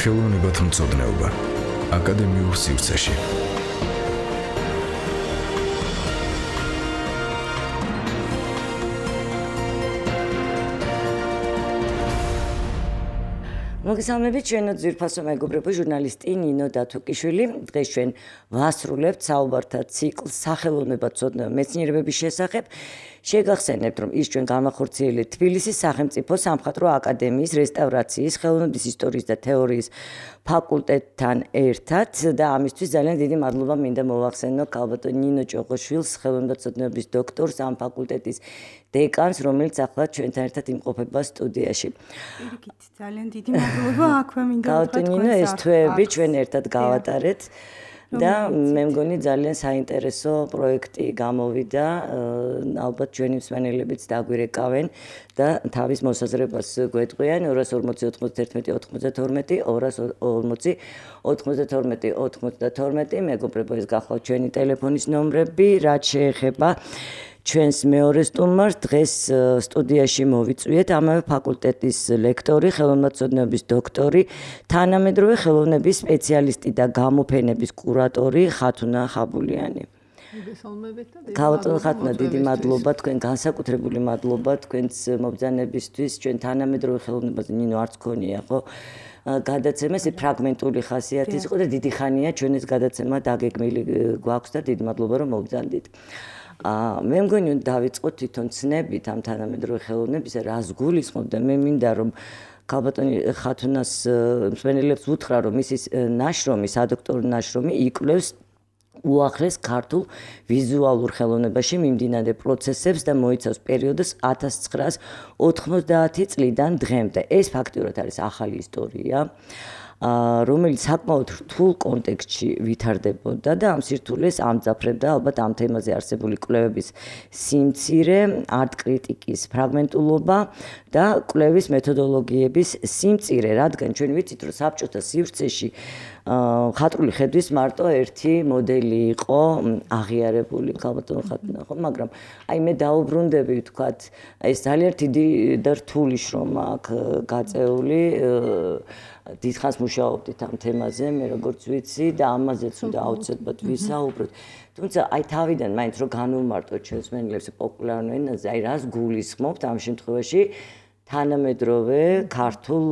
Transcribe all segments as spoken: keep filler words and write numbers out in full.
ხელოვნებათმცოდნეობა აკადემიურ სივრცეში. მოგესალმებით, ჩვენო ძვირფასო მეგობრებო, ჟურნალისტი ნინო დათუკიშვილი. დღეს ჩვენ ვასრულებთ საუბართა ციკლს სახელოვნებათმცოდნეობა მეცნიერებების შესახებ. შეგახსენებთ, რომ ის ჩვენ განახორციელეთ თბილისის სახელმწიფო სამხატვრო აკადემიის რესტავრაციის, ხელოვნების ისტორიის და თეორიის ფაკულტეტთან ერთად და ამისთვის ძალიან დიდი მადლობა მინდა მოვახსენო ქალბატონ ნინო ჭოღოშვილს, ხელოვნებათმცოდნეობის დოქტორს, ამ ფაკულტეტის დეკანს, რომელიც ახლა ჩვენთან ერთად იმყოფება სტუდიაში. პირიქით, ძალიან დიდი მადლობა, აქვე მინდა ქალბატონ ნინო, ეს თვეები ჩვენ ერთად გავატარეთ. და მე მგონი ძალიან საინტერესო პროექტი გამოვიდა, ალბათ ჩვენი მსმენელებიც დაგვირეკავენ და თავის მოსაზრებას გვეტყვიან ორას ორმოცი ოთხმოცდაერთმეტი ოთხმოცდათორმეტი ორას ორმოცი ოთხმოცდათორმეტი ოთხმოცდათორმეტი მეგობრებო, ეს გახლავთ ჩვენი ტელეფონის ნომრები, რაც შეეხება ჩვენს მეორე სტუმარს. დღეს სტუდიაში მოვიწვიეთ ამავე ფაკულტეტის ლექტორი, ხელოვნებათმცოდნეობის დოქტორი, თანამედროვე ხელოვნების სპეციალისტი და გამოფენების კურატორი ხათუნა ხაბულიანი. ქალბატონ ხათუნა, დიდი მადლობა, თქვენ განსაკუთრებული მადლობა თქვენს მობრძანებისთვის. ჩვენ თანამედროვე ხელოვნებაზე ნინო არც ქონია, ხო? გადაცემა ეს ფრაგმენტული ხასიათის იყო და დიდი ხანია ჩვენ ეს გადაცემა დაგეგმილი გვაქვს და დიდი მადლობა რომ მობრძანდით. მე მგონი დავიწყოთ თვითონ ცნებით ამ თანამედროვე ხელოვნებისა, რას გულისხმობ და მე მინდა რომ ქალბატონი ხათუნას მსმენელებს უთხრა, რომ მისი ნაშრომი, სადოქტორო ნაშრომი იკვლევს უახლეს ქართულ ვიზუალურ ხელოვნებაში მიმდინარე პროცესებს და მოიცავს პერიოდს ათას ცხრაას ოთხმოცდაათი წლიდან დღემდე. ეს ფაქტიურად არის ახალი ისტორია, რომელიც საკმაოდ რთულ კონტექსტში ვითარდებოდა და ამ სირთულეს ამძაფრებდა ალბათ ამ თემაზე არსებული კვლევების სიმცირე, არტ-კრიტიკის ფრაგმენტულობა და კვლევის მეთოდოლოგიების სიმწირე, რადგან ჩვენ ვიცით, რომ საბჭოთა სივრცეში ხატრული ხედვის მარტო ერთი მოდელი იყო აღიარებული, ქალბატონ ხათუნა, ხო, მაგრამ აი მე დაუბრუნდები, ვთქვათ, ეს ძალიან დიდი და რთული შრომა აქვს გაწეული. დიდხანს მუშაობდით ამ თემაზე, მე როგორც ვიცი და ამაზეც უნდა აუცილებლად ვისაუბროთ. თუმცა აი თავიდან მაინც რომ განვმარტოთ ჩვენს მსმენელებს პოპულარულ ენაზე, აი რას გულისხმობთ ამ შემთხვევაში თანამედროვე ქართულ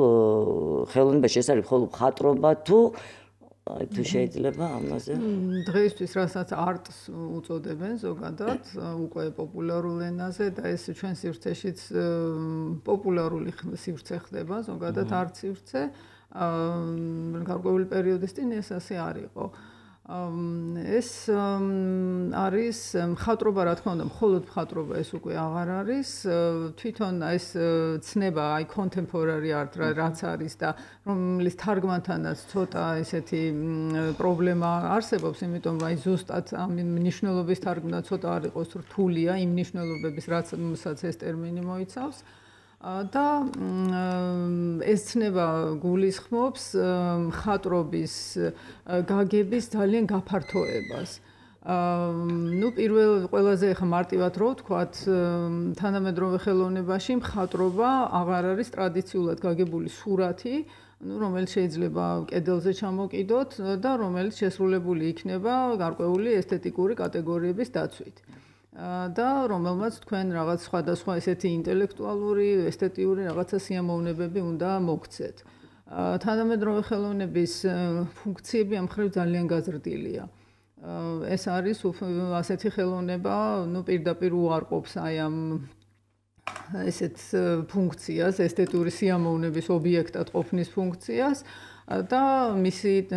ხელოვნებაში, ეს არის მხოლოდ მხატვრობა თუ თუ შეიძლება ამაზე? დღეისთვის რასაც არტს უწოდებენ ზოგადად, უკვე პოპულარულ ენაზე და ეს ჩვენ სივრცეშიც პოპულარული სივრცე ხდება, ზოგადად არტ სივრცე. გარკვეული პერიოდის წინ ეს ასე არ იყო. ეს არის მხატვრობა, რა თქმა უნდა, მხოლოდ მხატვრობა ეს უკვე აღარ არის. თვითონ ეს ცნება, აი contemporary art რაც არის და რომლის თარგმანთანაც ცოტა ესეთი პრობლემა არსებობს, იმიტომ რომ აი ზუსტად ამ მნიშვნელობის თარგმნა ცოტა არ იყოს რთულია იმ მნიშვნელობების, რასაც ეს ტერმინი მოიცავს. და ეს ცნება გულისხმობს მხატვრობის გაგების ძალიან გაფართოებას. ნუ პირველ ყველაზე ხა მარტივად რო ვთქვათ, თანამედროვე ხელოვნებაში მხატვრობა აღარ არის ტრადიციულად გაგებული სურათი, ნუ რომელიც შეიძლება კედელზე ჩამოკიდოთ და რომელიც შესრულებული იქნება გარკვეული ესთეტიკური კატეგორიების დაცვით. და რომელმაც თქვენ რაღაც სხვადასხვა ესეთი ინტელექტუალური, ესთეტიური რაღაცა სიამოვნებები უნდა მოგცეთ. თანამედროვე ხელოვნების ფუნქციები ამ მხრივ ძალიან გაზრდილია. ეს არის ასეთი ხელოვნება, ნუ პირდაპირ უარყოფს აი ამ ესეთ ფუნქციას, ესთეტური სიამოვნების ობიექტად ყოფნის ფუნქციას. და მისი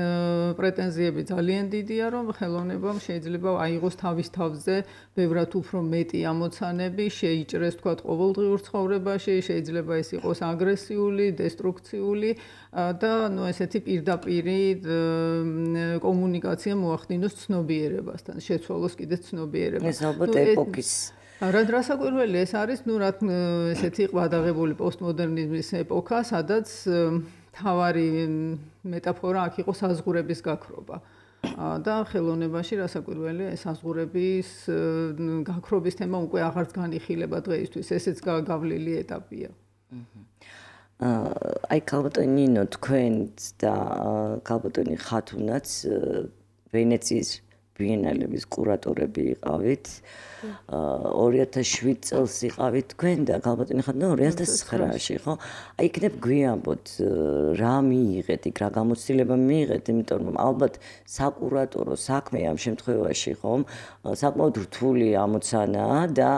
პრეტენზიები ძალიან დიდია, რომ ხელოვნებამ შეიძლება აიღოს თავის თავზე ბევრად უფრო მეტი ამოცანები, შეიჭრეს თქვათ ყოველდღიურ ცხოვრებაში, შეიძლება ეს იყოს აგრესიული, დესტრუქციული და ნუ ესეთი პირდაპირი კომუნიკაცია მოახდინოს ცნობიერებასთან, შეცვალოს კიდე ცნობიერება. ეს ალბათ ეპოქის რა დრასაკვირველი ეს არის, ნუ რა ესეთი ყვადაღებული პოსტმოდერნიზმის ეპოქა, სადაც თავარი მეტაფორა აქ იყო საზღურების გაქრობა. და ხელოვნებაში რასაკვირველია ეს საზღურების გაქრობის თემა უკვე აღარც განიხილება დღეისთვის, ესეც გავლილი ეტაპია. აი ქალბატონი ნინო თქვენც და ქალბატონი ხათუნაც ვენეციის ბიენალების კურატორები იყავით. ორი ათას შვიდ წელს იყავით თქვენ და ქალბატონი ხათუნა ორი ათას ცხრაში, ხო? აი იქნებ გვიამბოთ რა მიიღეთ იქ, რა გამოცდილება მიიღეთ, იმიტომ რომ ალბათ საკურატორო საქმე ამ შემთხვევაში, ხომ, საკმაოდ რთული ამოცანაა და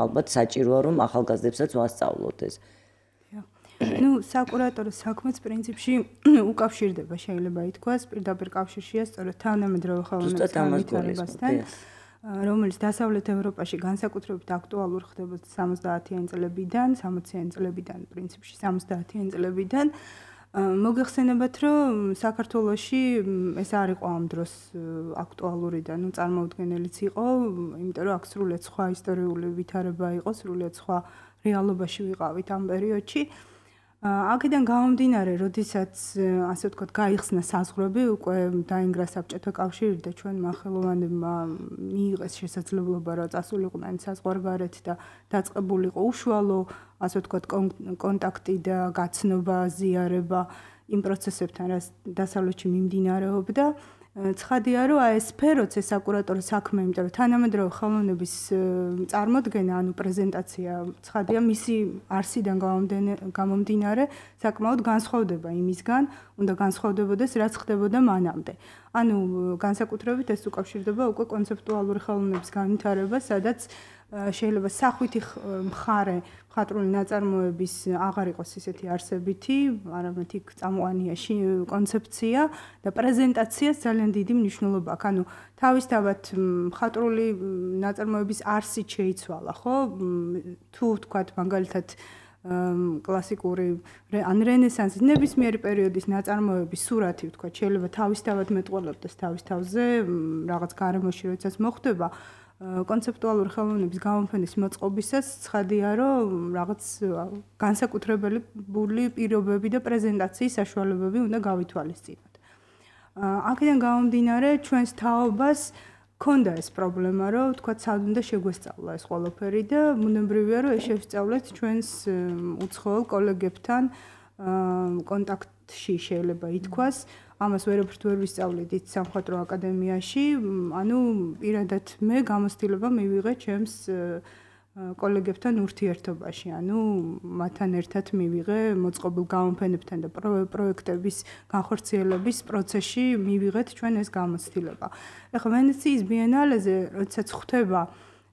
ალბათ საჭიროა რომ ახალგაზრდებსაც ვასწავლოთ ეს. ну საკურატორო საქმეც პრინციპში უკავშირდება შეიძლება ითქვას პირდაპირ კავშირშია სწორედ თანამედროვე ხელოვნების განვითარებასთან რომელიც დასავლეთ ევროპაში განსაკუთრებით აქტუალური ხდება სამოცდაათიანი წლებიდან სამოციანი წლებიდან პრინციპში სამოცდაათიანი წლებიდან მოგეხსენებათ რომ საქართველოში ეს არ იყო ამ დროს აქტუალური და ну წარმოუდგენელიც იყო იმიტომ რომ აქ სრულიად სხვა ისტორიული ვითარება იყო სრულიად სხვა რეალობაში ვიყავით ამ პერიოდში აქედან გამომდინარე, როდესაც ასე ვთქვათ, გაიხსნა საზღვრები, უკვე დაინგრა საბჭოთა კავშირი და ჩვენმა ხელოვანებმა მიიღეს შესაძლებლობა რა წასულიყვნენ საზღვარგარეთ და დაწყებულიყო უშუალო, ასე ვთქვათ, კონტაქტი და გაცნობა, ზიარება იმ პროცესებთან, რაც დასავლეთში მიმდინარეობდა. ცხადია, რომ აი ეს სფეროც ეს საკურატორო საქმე, იმიტომ რომ თანამედროვე ხელოვნების წარმოდგენა, ანუ პრეზენტაცია, ცხადია, მისი არსიდან გამომდინარე, საკმაოდ განსხვავდება იმისგან, უნდა განსხვავდებოდეს, რაც ხდებოდა მანამდე. ანუ განსაკუთრებით ეს უკავშირდება უკვე კონცეპტუალური ხელოვნების განვითარებას, სადაც შეიძლება სახვითი მხარე მხატვრული ნაწარმოების აღარ იყოს ისეთი არსებითი, არამედ იქ წამყვანია კონცეფცია და პრეზენტაციას ძალიან დიდი მნიშვნელობა აქვს. ანუ თავისთავად მხატვრული ნაწარმოების არსით შეიცვალა, ხო? თუ ვთქვათ, მაგალითად კლასიკური ან რენესანსის ნებისმიერი პერიოდის ნაწარმოების სურათი ვთქვათ, შეიძლება თავისთავად მეტყველებდეს თავის თავზე რაღაც გარემოში, როდესაც მოხდება კონცეპტუალური ხელოვნების გამოფენის მოწყობისას ცხადია, რომ რაღაც განსაკუთრებელი პირობები და პრეზენტაციის საშუალებები უნდა გავითვალისწინოთ. აქედან გამომდინარე, ჩვენს თაობას ქონდა ეს პრობლემა, რომ თქვათ, სად უნდა შეგვესწავლა ეს ყველაფერი და ბუნებრივია, რომ ეს შევსწავლეთ ჩვენს უცხოელ კოლეგებთან კონტაქტში შეიძლება ითქვას. ამას ვერაფერთ ვერ ვისწავლიდით სამხატვრო აკადემიაში, ანუ პირადად მე გამოცდილება მივიღე ჩემს კოლეგებთან ურთიერთობაში, ანუ მათთან ერთად მივიღე მოწყობილ გამოფენებთან და პროექტების განხორციელების პროცესში მივიღეთ ჩვენ ეს გამოცდილება. ეხლა ვენეციის ბიენალეზე, როდესაც ხვდება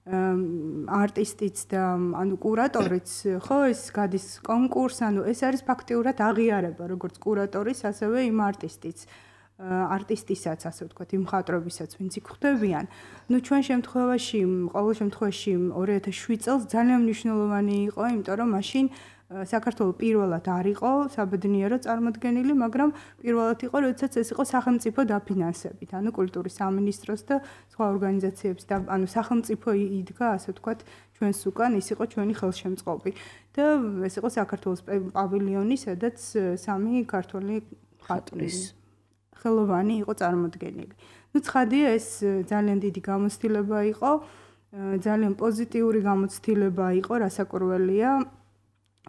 არტისტიც და ანუ კურატორიც, ხო, ეს გადის კონკურს, ანუ ეს არის ფაქტიურად აღიარება, როგორც კურატორის, ასევე იმ არტისტიც, არტისტისაც, ასე ვთქვათ, იმ მხატვრობისაც, ვინც იქ ხვდებიან. ნუ ჩვენ შემთხვევაში, ყოველ შემთხვევაში ორი ათას შვიდ წელს ძალიან მნიშვნელოვანი იყო, იმიტომ რომ მაშინ საქართველოს პირველად არ იყო საბედნიერო წარმოდგენილი, მაგრამ პირველად იყო, როდესაც ეს იყო სახელმწიფო დაფინანსებით, ანუ კულტურის სამინისტროს და სხვა ორგანიზაციების და ანუ სახელმწიფო იდგა, ასე ვთქვათ, ჩვენს უკან, ის იყო ჩვენი ხელშემწყობი. და ეს იყო საქართველოს პავილიონი, სადაც სამი ქართველი მხატვრის ხელოვანი იყო წარმოდგენილი. ნუ ცხადია, ეს ძალიან დიდი გამოცდილება იყო, ძალიან პოზიტიური გამოცდილება იყო, რასაკვირველია.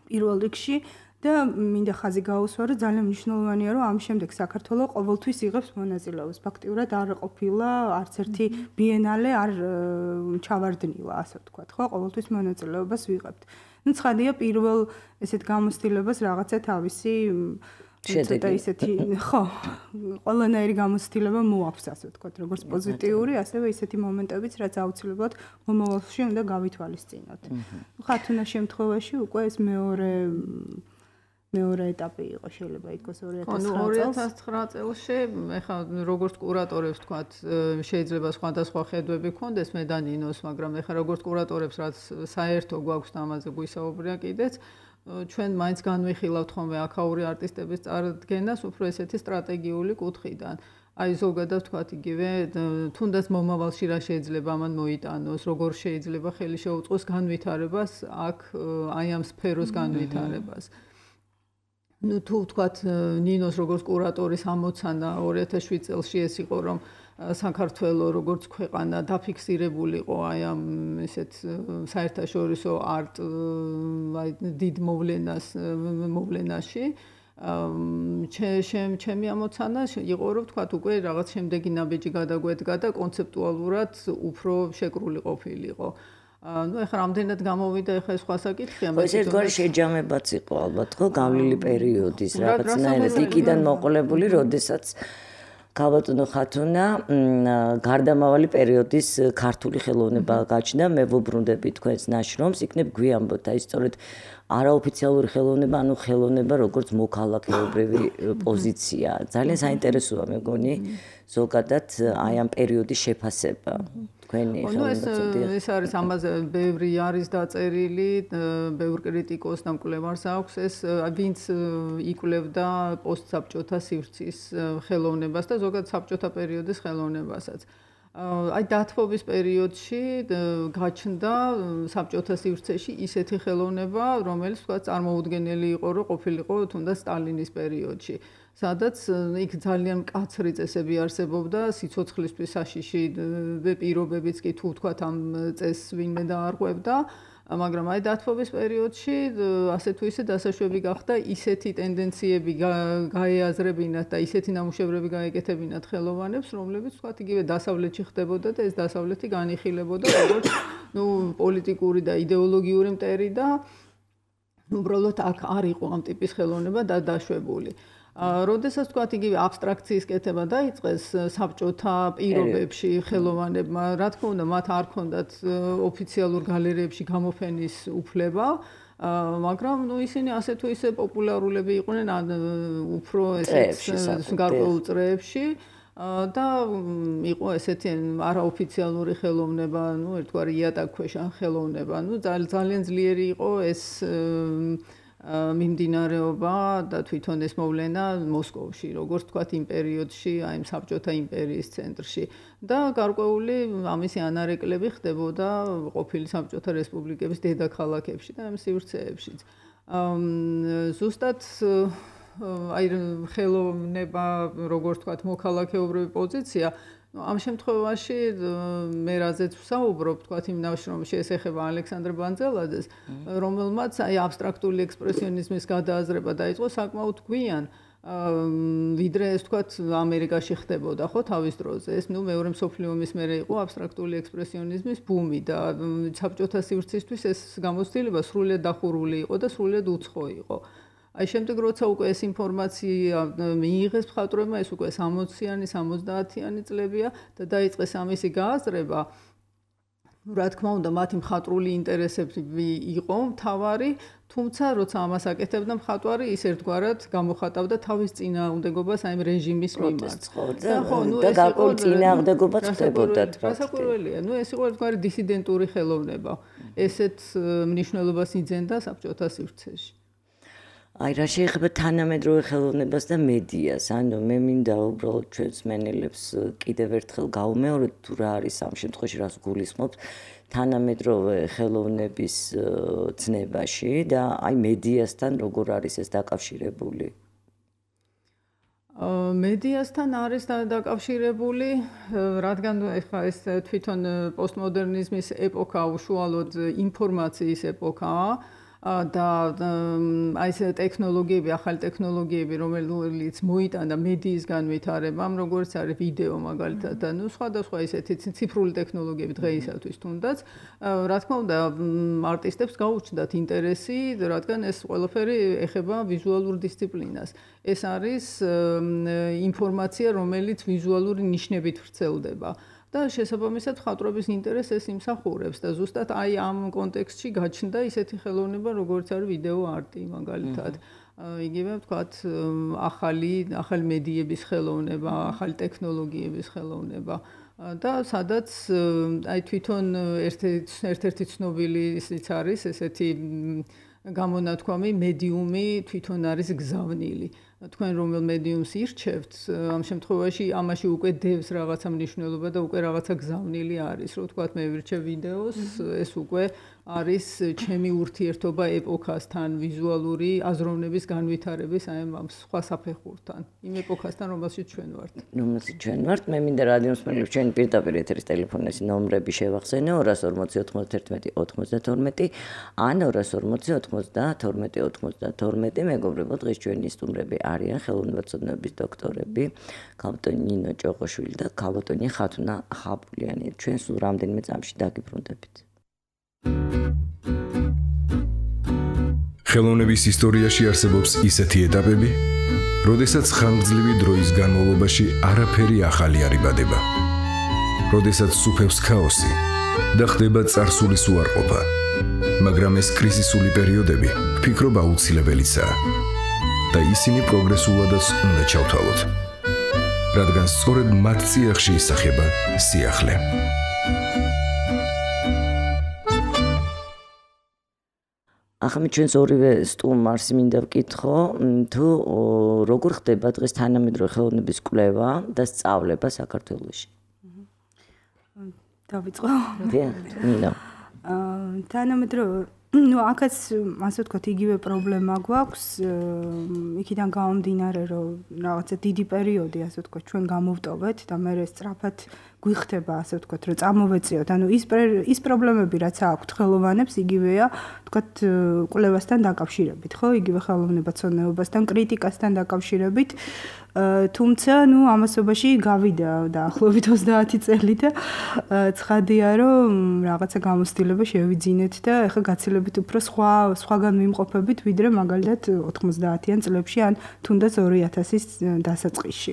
პირველ რიგში და მინდა ხაზი გაუსვა, რომ ძალიან მნიშვნელოვანია, რომ ამ შემდეგ საქართველოს ყოველთვის იღებს მონაწილეობას. ფაქტიურად არ ყოფილა არც ერთი ბიენალე არ ჩავარდნილა, ასე ვთქვათ, ხო, ყოველთვის მონაწილეობას ვიღებთ. ნუ ცხადია, პირველ ესეთ გამოცდილებას რაღაცა თავისი ცოტა ისეთი, ხო, ყველანაირი გამოცდილება მოაქვს, ასე ვთქვათ, როგორც პოზიტიური, ასევე ისეთი მომენტებიც, რაც აუცილებლად მომავალში უნდა გავითვალისწინოთ. ხათუნა შემთხვევაში უკვე ეს მეორე მეორე ეტაპი იყო, შეიძლება ითქვას ორი ათას ცხრა წელს. ორი ათას ცხრა წელში, ეხლა როგორც კურატორებს ვთქვათ, შეიძლება სხვადასხვა ხედვები ქონდეს მე და ნინოს, მაგრამ ეხლა როგორც კურატორებს, რაც საერთო გვაქვს და ამაზე გვისაუბრია კიდეც, ჩვენ მაინც განვიხილავთ ხოლმე აქაური არტისტების წარდგენას უფრო ესეთი სტრატეგიული კუთხიდან. აი ზოგადად ვთქვათ იგივე, თუნდაც მომავალში რა შეიძლება ამან მოიტანოს, როგორ შეიძლება ხელი შეუწყოს განვითარებას, აქ აი ამ სფეროს განვითარებას. ну თუ ვთქვათ ნინოს როგორც კურატორის ამოცანა ორი ათას შვიდ წელს ეს იყო რომ საქართველოს როგორც ქვეყანა დაფიქსირებულიყო აი ამ ესეთ საერთაშორისო არტ აი დიდ მოვლენას მოვლენაში ჩემ ჩემი ამოცანა იყო რომ ვთქვათ უკვე რაღაც შემდეგი ნაბიჯი გადაგვედგა და კონცეპტუალურად უფრო შეკრული ყოფილიყო ну ეხლა რამდენად გამოვიდა ეხლა ეს სხვა საკითხია მაგრამ ეს ერთგვარი შეჯამებაც იყო ალბათ ხო გავლილი პერიოდის რაღაცნაირად იქიდან მოყოლებული როდესაც ქალბატონო ხათუნა გარდამავალი პერიოდის ქართული ხელოვნება გაჩნდა მე ვუბრუნდები თქვენს ნაშრომს იქნებ გვიამბოთ აი სწორედ არაოფიციალური ხელოვნება ანუ ხელოვნება როგორც მოქალაქეობრივი პოზიცია ძალიან საინტერესოა მეგონი ზოგადად აი ამ პერიოდის შეფასება თქვენი ხელოვნება ეს არის ამაზე ბევრი არის დაწერილი ბევრ კრიტიკოს და მკვლევარს აქვს ეს ვინც იკვლევდა პოსტსაბჭოთა სივრცის ხელოვნებას და ზოგადად საბჭოთა პერიოდის ხელოვნებასაც აი დათბობის პერიოდში გაჩნდა საბჭოთა სივრცეში ისეთი ხელოვნება, რომელიც თქვა წარმოუდგენელი იყო, რომ ყოფილიყო თუნდაც სტალინის პერიოდში, სადაც იქ ძალიან მკაცრი წესები არსებობდა, სიცოცხლისთვის საშიში პირობებიც კი თუ თქვა ამ წესს ვინმე დაარღვევდა, მაგრამ აი დათბობის პერიოდში ასე თუ ისე დასაშვები გახდა ისეთი ტენდენციები გაეაზრებინათ და ისეთი ნამუშევრები გაეკეთებინათ ხელოვანებს, რომლებიც თქვა იგივე დასავლეთში ხდებოდა და ეს დასავლეთი განიხილებოდა როგორც ნუ პოლიტიკური და იდეოლოგიური მტერი და უბრალოდ აქ არ იყო ამ ტიპის ხელოვნება და დაშვებული. როდესაც თქვა იგივე აბსტრაქციის კეთება დაიწყეს საბჭოთა პირობებში ხელოვანებმა, რა თქმა უნდა, მათ არ ჰქონდათ ოფიციალურ გალერეებში გამოფენის უფლება, მაგრამ ნუ ისინი ასე თუ ისე პოპულარულები იყვნენ ან უფრო ესეც გარკვეულ წრეებში და იყო ესეთი არაოფიციალური ხელოვნება, ნუ ერთგვარი იატაკქვეშა ხელოვნება, ნუ ძალიან ძლიერი იყო ეს მიმდინარეობა და თვითონ ეს მოვლენა მოსკოვში, როგორც თქვათ იმ პერიოდში, აი ამ საბჭოთა იმპერიის ცენტრში და გარკვეული ამისი ანარეკლები ხდებოდა ყოფილი საბჭოთა რესპუბლიკების დედაქალაქებში და ამ სივრცეებშიც. ზუსტად აი ხელოვნება, როგორც თქვათ, მოქალაქეობრივი პოზიცია ამ შემთხვევაში მე რაზეც ვსაუბრობ, თქვათ იმ ნაშრომში ეს ეხება ალექსანდრე ბანძელაძეს, რომელმაც აი აბსტრაქტული ექსპრესიონიზმის გადააზრება დაიწყო საკმაოდ გვიან, ვიდრე ეს თქვათ ამერიკაში ხდებოდა ხო თავის დროზე. ეს ნუ მეორე მსოფლიო ომის მერე იყო აბსტრაქტული ექსპრესიონიზმის ბუმი და საბჭოთა სივრცისთვის ეს გამოცდილება სრულიად დახურული იყო და სრულიად უცხო იყო. აი შემდეგ როცა უკვე ეს ინფორმაცია მიიღეს მხატვრებმა, ეს უკვე სამოციანი, სამოცდაათიანი წლებია და დაიწყეს ამისი გააზრება. რა თქმა უნდა, მათი მხატვრული ინტერესები იყო მთავარი, თუმცა როცა ამას აკეთებდა მხატვარი, ის ერთგვარად გამოხატავდა თავის წინააღმდეგობას აი რეჟიმის მიმართ. და გარკვეულ წინააღმდეგობაც ხდებოდა. რასაკვირველია, ნუ ეს იყო ერთგვარი დისიდენტური ხელოვნება. ესეთ მნიშვნელობას იძენდა საბჭოთა სივრცეში. აი რა შეიძლება თანამედროვე ხელოვნებას და მედიას, ანუ მე მინდა უბრალოდ ჩვენს მენელებს კიდევ ერთხელ გავუმეოროთ თუ რა არის ამ შემთხვევაში რას გულისხმობთ თანამედროვე ხელოვნების ცნებაში და აი მედიასთან როგორ არის ეს დაკავშირებული? მედიასთან არის დაკავშირებული, რადგან ეხლა ეს თვითონ პოსტმოდერნიზმის ეპოქა უშუალოდ ინფორმაციის ეპოქაა. და აი ეს ტექნოლოგიები, ახალი ტექნოლოგიები, რომელიც მოიტანა მედიის განვითარებამ, როგორც არის ვიდეო მაგალითად და ნუ სხვადასხვა ისეთი ციფრული ტექნოლოგიები დღეისათვის თუნდაც, რა თქმა უნდა, არტისტებს გაუჩნდათ ინტერესი, რადგან ეს ყველაფერი ეხება ვიზუალურ დისციპლინას. ეს არის ინფორმაცია, რომელიც ვიზუალური ნიშნებით ვრცელდება. და შესაბამისად მხატვრობის ინტერესს ეს იმსახურებს და ზუსტად აი ამ კონტექსტში გაჩნდა ისეთი ხელოვნება, როგორც არის ვიდეო არტი მაგალითად. იგივე ვთქვათ, ახალი ახალი მედიების ხელოვნება, ახალი ტექნოლოგიების ხელოვნება და სადაც აი თვითონ ერთ-ერთი ცნობილი ისიც არის ესეთი გამონათქვამი მედიუმი თვითონ არის გზავნილი. თქვენ რომელ მედიუმს ირჩევთ, ამ შემთხვევაში ამაში უკვე დევს რაღაცა მნიშვნელობა და უკვე რაღაცა გზავნილი არის. რო თქვათ მე ვირჩევ ვიდეოს, ეს უკვე არის ჩემი ურთიერთობა ეპოქასთან, ვიზუალური აზროვნების განვითარების აი ამ სხვა საფეხურთან, იმ ეპოქასთან, რომელშიც ჩვენ ვართ. რომელშიც ჩვენ ვართ, მე მინდა რადიოს მსმენელებს ჩვენი პირდაპირ ეთერის ტელეფონის ნომრები შევახსენე ორას ორმოცი ოთხმოცდაერთმეტი ოცდათორმეტი ან ორას ორმოცი ოცდათორმეტი ოცდათორმეტი. მეგობრებო, დღეს ჩვენი სტუმრები არიან ხელოვნებაცოდნეობის დოქტორები ქალბატონი ნინო ჭოყოშვილი და ქალბატონი ხათუნა ხაბულიანი. ჩვენ სულ რამდენიმე წამში დაგიბრუნდებით. ხელოვნების ისტორიაში არსებობს ისეთი ეტაპები, როდესაც ხანგრძლივი დროის განმავლობაში არაფერი ახალი არ იბადება. როდესაც სუფევს ქაოსი და ხდება წარსულის უარყოფა. მაგრამ ეს კრიზისული პერიოდები ვფიქრობ აუცილებელიცაა და ისინი პროგრესულადაც უნდა ჩავთვალოთ. რადგან სწორედ მათ წიაღში ისახება სიახლე. ახლა ჩვენს ორივე სტუმარს მინდა ვკითხო, თუ როგორ ხდება დღეს თანამედროვე ხელოვნების კვლევა და სწავლება საქართველოში? დავიწყო. დიახ, მინდა. აა თანამედროვე ну, აქაც ასე ვთქვათ, იგივე პრობლემა გვაქვს, იქიდან გამომდინარე, რომ რაღაცა დიდი პერიოდი, ასე ვთქვათ, ჩვენ გამოვტოვეთ და მე სწრაფად გვიხდება, ასე ვთქვათ, რომ წამოვეწიოთ. ანუ ის ის პრობლემები, რაც აქვთ ხელოვანებს, იგივეა, ვთქვათ, კვლევასთან დაკავშირებით, ხო? იგივე ხელოვნებაცოდნეობასთან, კრიტიკასთან დაკავშირებით. თუმცა, ну, ამასობაში გავიდა დაახლოებით ოცდაათი წელი და ცხადია, რომ რაღაცა გამოცდილება შევიძინეთ და ეხლა გაცილებით უფრო სხვა სხვაგან ვიმყოფებით, ვიდრე მაგალითად ოთხმოცდაათიან წლებში ან თუნდაც ორი ათასის დასაწყისში.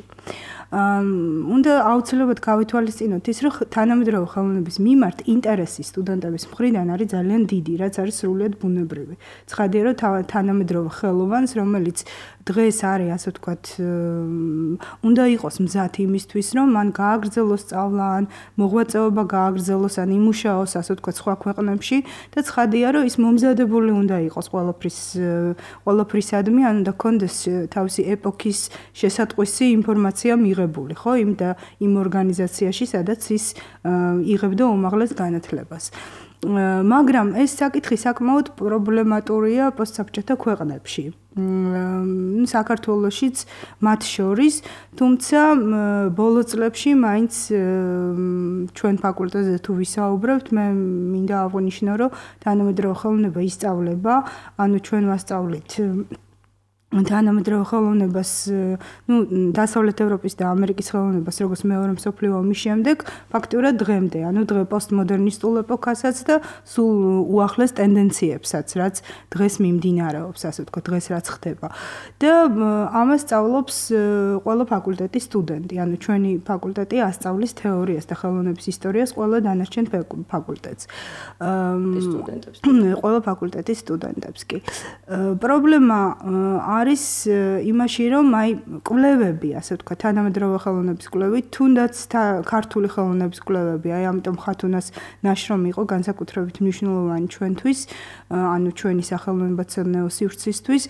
უნდა აუცილებლად გავითვალისწინოთ ის, რომ თანამედროვე ხელოვნების მიმართ ინტერესი სტუდენტების მხრიდან არის ძალიან დიდი, რაც არის სრულიად ბუნებრივი. ცხადია, რომ თანამედროვე ხელოვანს, რომელიც დღეს არის, ასე ვთქვათ, უნდა იყოს მზად იმისთვის, რომ მან გააგრძელოს სწავლა, ან მოღვაწეობა გააგრძელოს, ან იმუშაოს, ასე ვთქვათ, სხვა ქვეყნებში და ცხადია, რომ ის მომზადებული უნდა იყოს ყველაფრის ყველაფრისადმი, ან უნდა ქონდეს თავისი ეპოქის შესატყვისი ინფორმაცია მიღებული, ხო, იმ და იმ ორგანიზაციაში, სადაც ის იღებდა უმაღლეს განათლებას. მაგრამ ეს საკითხი საკმაოდ პრობლემატურია პოსტსაბჭოთა ქვეყნებში. საქართველოშიც მათ შორის, თუმცა ბოლო წლებში მაინც ჩვენ ფაკულტეტზე თუ ვისაუბრებთ, მე მინდა აღვნიშნო, რომ თანამედროვე ხელოვნება ისწავლება, ანუ ჩვენ ვასწავლით თანამედროვე ხელოვნებას, ну, დასავლეთ ევროპის და ამერიკის ხელოვნებას, როგორც მეორე მსოფლიო ომის შემდეგ, ფაქტურად დღემდე, ანუ დღე პოსტმოდერნისტულ ეპოქასაც და სულ უახლეს ტენდენციებსაც, რაც დღეს მიმდინარეობს, ასე ვთქვათ, დღეს რაც ხდება. და ამას სწავლობს ყველა ფაკულტეტის სტუდენტი, ანუ ჩვენი ფაკულტეტი ასწავლის თეორიას და ხელოვნების ისტორიას ყველა დანარჩენ ფაკულტეტს. სტუდენტებს. ყველა ფაკულტეტის სტუდენტებს კი. პრობლემა არის იმაში, რომ აი კვლევები, ასე ვთქვათ, თანამედროვე ხელოვნების კვლევები, თუნდაც ქართული ხელოვნების კვლევები, აი ამიტომ ხათუნას ნაშრომი იყო განსაკუთრებით მნიშვნელოვანი ჩვენთვის, ანუ ჩვენი სახელოვნებაცოდნეო სივრცისთვის,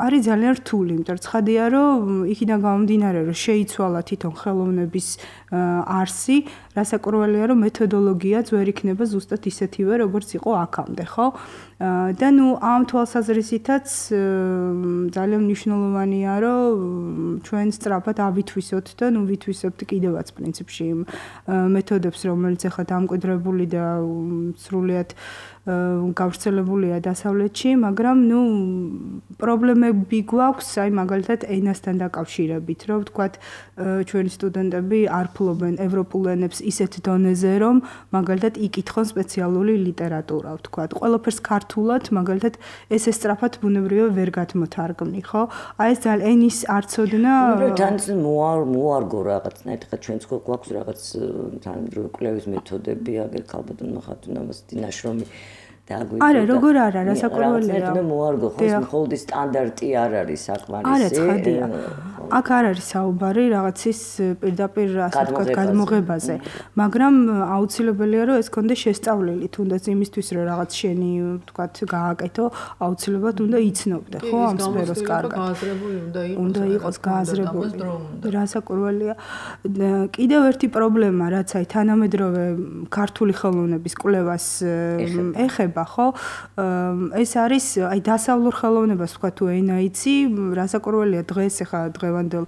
არის ძალიან რთული, იმიტომ რომ ცხადია, რომ იქიდან გამომდინარე, რომ შეიცვალა თვითონ ხელოვნების არსი, რასაკვირველია, რომ მეთოდოლოგიაც ვერ იქნება ზუსტად ისეთივე, როგორც იყო აქამდე, ხო? და ნუ ამ თვალსაზრისითაც ძალიან მნიშვნელოვანია, რომ ჩვენ სწრაფად ავითვისოთ და ნუ ვითვისებთ კიდევაც პრინციპში იმ მეთოდებს, რომელიც ახლა დამკვიდრებული და სრულიად გავრცელებულია დასავლეთში, მაგრამ ნუ პრობლემები გვაქვს, აი მაგალითად ენასთან დაკავშირებით, რომ ვთქვათ, ჩვენი სტუდენტები არ ფლობენ ევროპულ ენებს ისეთ დონეზე, რომ მაგალითად იკითხონ სპეციალური ლიტერატურა, ვთქვათ, ყველაფერს ქართულად, მაგალითად ეს ესწრაფად ბუნებრივად ვერ გათმოთარგმნი, ხო? აი ეს ძალიან ენის არცოდნა თან მოარ მოარგო რაღაცნაირად, ხა ჩვენც გვაქვს რაღაც თანამედროვე კვლევის მეთოდები, აგერ ქალბატონმა ხათუნამას დინაშრომი არა, როგორ არა, რასაკვირველია. მე მოარგო, ხო, მხოლოდ სტანდარტი არ არის საკმარისი. არა, ცხადია. აქ არ არის საუბარი რაღაცის პირდაპირ ასე ვთქვათ გადმოღებაზე, მაგრამ აუცილებელია, რომ ეს კონდეს შესწავლილი, თუნდაც იმისთვის, რომ რაღაც შენი ვთქვათ გააკეთო, აუცილებლად უნდა იცნობდე, ხო, ამ სფეროს კარგად. გააზრებული უნდა იყოს. უნდა იყოს გააზრებული. რასაკვირველია. კიდევ ერთი პრობლემა, რაც აი თანამედროვე ქართული ხელოვნების კვლევას ეხება იცვლება, ხო? ეს არის აი დასავლურ ხელოვნებას თქვა თუ ენა იცი, რასაკვირველია დღეს ახლა დღევანდელ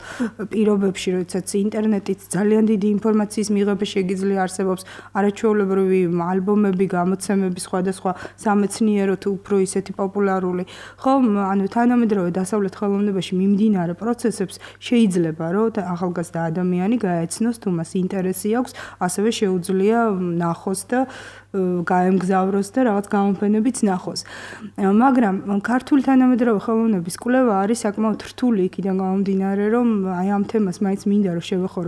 პირობებში, როდესაც ინტერნეტით ძალიან დიდი ინფორმაციის მიღება შეგიძლია არსებობს არაჩვეულებრივი ალბომები, გამოცემები, სხვადასხვა სამეცნიერო თუ უფრო ისეთი პოპულარული, ხო? ანუ თანამედროვე დასავლეთ ხელოვნებაში მიმდინარე პროცესებს შეიძლება რომ ახალგაზრდა ადამიანი გაეცნოს თუ მას ინტერესი აქვს, ასევე შეუძლია ნახოს და გაემგზავროს და რაღაც გამოფენებიც ნახოს. მაგრამ ქართული თანამედროვე ხელოვნების კვლევა არის საკმაოდ რთული იქიდან გამომდინარე, რომ აი ამ თემას მაინც მინდა რომ შევეხო,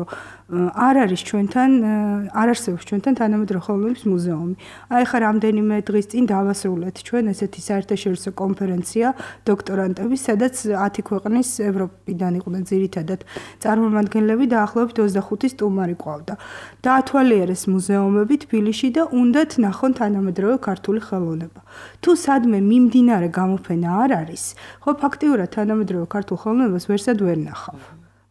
არ არის ჩვენთან, არ არსებობს ჩვენთან თანამედროვე ხელოვნების მუზეუმი. აი ხა რამდენიმე დღის წინ დავასრულეთ ჩვენ ესეთი საერთაშორისო კონფერენცია დოქტორანტების, სადაც ათი ქვეყნის ევროპიდან იყვნენ ძირითადად წარმომადგენლები და ახლობით ოცდახუთი სტუმარი ყავდა. დაათვალიერეს მუზეუმები თბილისში და უნდა ნახონ თანამედროვე ქართული ხელოვნება. თუ სადმე მიმდინარე გამოფენა არ არის, ხო ფაქტიურად თანამედროვე ქართულ ხელოვნებას ვერსად ვერ ნახავ.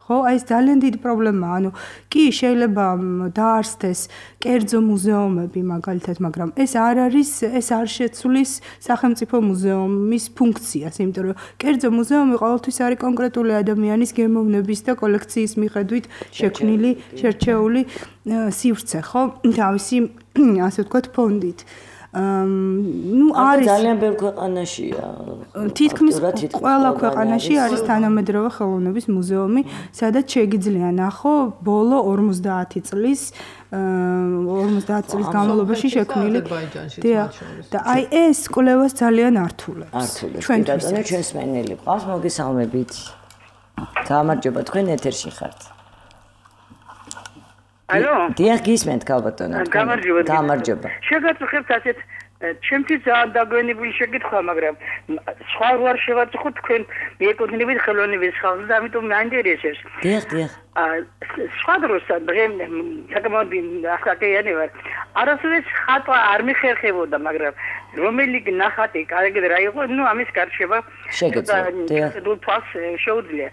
ხო, აი ეს ძალიან დიდი პრობლემაა. ანუ კი შეიძლება დაარსდეს კერძო მუზეუმები მაგალითად, მაგრამ ეს არ არის, ეს არ შეცვლის სახელმწიფო მუზეუმის ფუნქციას, იმიტომ რომ კერძო მუზეუმი ყოველთვის არის კონკრეტული ადამიანის გემოვნების და კოლექციის მიხედვით შექმნილი, შერჩეული სივრცე, ხო? თავისი ასე ვთქვათ ფონდით. ნუ არის ძალიან ბევრ ქვეყანაშია. თითქმის ყველა ქვეყანაში არის თანამედროვე ხელოვნების მუზეუმი, სადაც შეგიძლია ნახო ბოლო ორმოცდაათი წლის ორმოცდაათი წლის განმავლობაში შექმნილი. და აი ეს კვლევას ძალიან ართულებს. ჩვენთვის ჩვენს მენელი ყავს, მოგესალმებით. გამარჯობა, თქვენ ეთერში ხართ. ალო? დიახ, გისმენთ ქალბატონო. გამარჯობა. გამარჯობა. შეგაწუხებთ ასეთ ჩემთვის ძალიან დაგვენებული შეკითხვა, მაგრამ სხვა ვარ შევაწუხოთ თქვენ მიეკუთვნებით ხელოვნების ხალხს და ამიტომ მაინტერესებს. დიახ, დიახ. სხვა დროს დღე საკმაოდ ახალგაზრდა ვარ. არასოდეს ხატვა არ მიხერხებოდა, მაგრამ რომელი ნახატი კარგი რა იყო, ნუ ამის გარშევა შეგეძლო. თავს შეუძლია.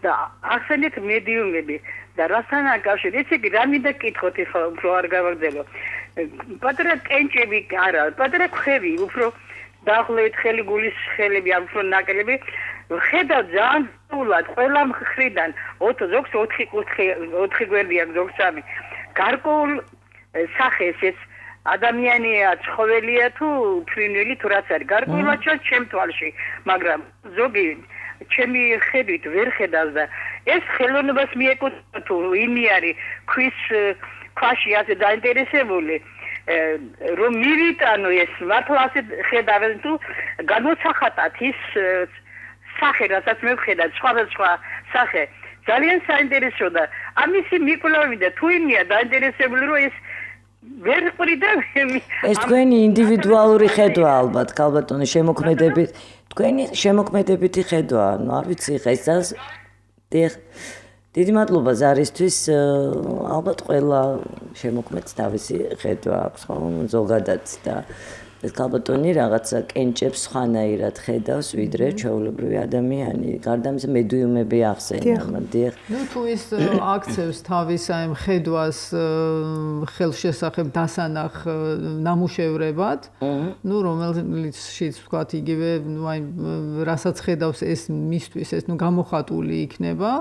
და ახსენეთ მედიუმები და რასთან აკავშირებს? ესე იგი, რა მინდა გკითხოთ ახლა უფრო არ გავაგრძელო. პატარა კენჭები არა, პატარა ქვევი, უფრო დაახლოებით ხელი გულის ხელები, ან უფრო ნაკლები, ხედავ ძალიან სულად ყველა მხრიდან, ზოგს ოთხი კუთხე, ოთხი გვერდი აქვს, ზოგს სამი. გარკვეულ სახეს ეს ადამიანია, ცხოველია თუ ფრინველი თუ რაც არის. გარკვეულად ჩემ თვალში, მაგრამ ზოგი ჩემი ხედვით ვერ ხედავს და ეს ხელოვნებას მიეკუთვნება თუ იმი არის ქვის ქვაში ასე დაინტერესებული რომ მივიტანო ეს მართლა ასე ხედავენ თუ განმოსახატათ ის სახე რასაც მე ვხედავ სხვადასხვა სახე ძალიან საინტერესო და ამისი მიკვლევი და თუ იმია დაინტერესებული რომ ეს ვერ ყრიდა ეს თქვენი ინდივიდუალური ხედვა ალბათ ქალბატონო შემოქმედებით თქვენი შემოქმედებითი ხედვა ანუ არ ვიცი ხა ეს ძალს დიახ დიდი მადლობა ზარისთვის ალბათ ყველა შემოქმედს თავისი ხედვა აქვს ხო ზოგადად და ეს ქალბატონი რაღაცა კენჭებს ხანაირად ხედავს ვიდრე ჩვეულებრივი ადამიანი გარდა ამისა მედიუმები ახსენა დიახ ნუ თუ ის აქცევს თავის აი ხედვას ხელშესახებ დასანახ ნამუშევრებად ნუ რომელიცშიც ვთქვათ იგივე ნუ აი რასაც ხედავს ეს მისთვის ეს ნუ გამოხატული იქნება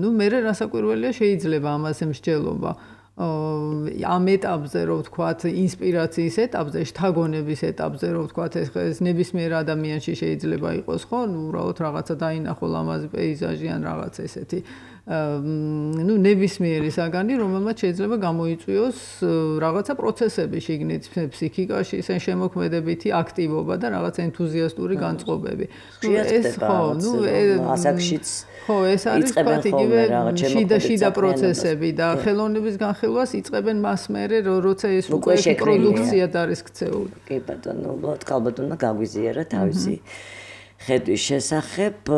ნუ მე რასაკვირველია შეიძლება ამაზე მსჯელობა ამ ეტაპზე რო ვთქვათ ინსპირაციის ეტაპზე, შთაგონების ეტაპზე რო ვთქვათ ეს ნებისმიერ ადამიანში შეიძლება იყოს ხო, ნუ უბრალოდ რაღაცა დაინახო ლამაზი პეიზაჟი ან რაღაც ესეთი ნუ ნებისმიერი საგანი, რომელმაც შეიძლება გამოიწვიოს რაღაცა პროცესები შიგნით ფსიქიკაში, ეს შემოქმედებითი აქტივობა და რაღაც ენთუზიასტური განწყობები. ეს ხო, ნუ ასაკშიც ხო, ეს არის თქვათ იგივე შიდა შიდა პროცესები და ხელოვნების განხილვას იწყებენ მას მერე, როცა ეს უკვე პროდუქციად არის ქცეული. კი ბატონო, უბრალოდ ქალბატონმა გაგვიზიარა თავისი ხედვის შესახებ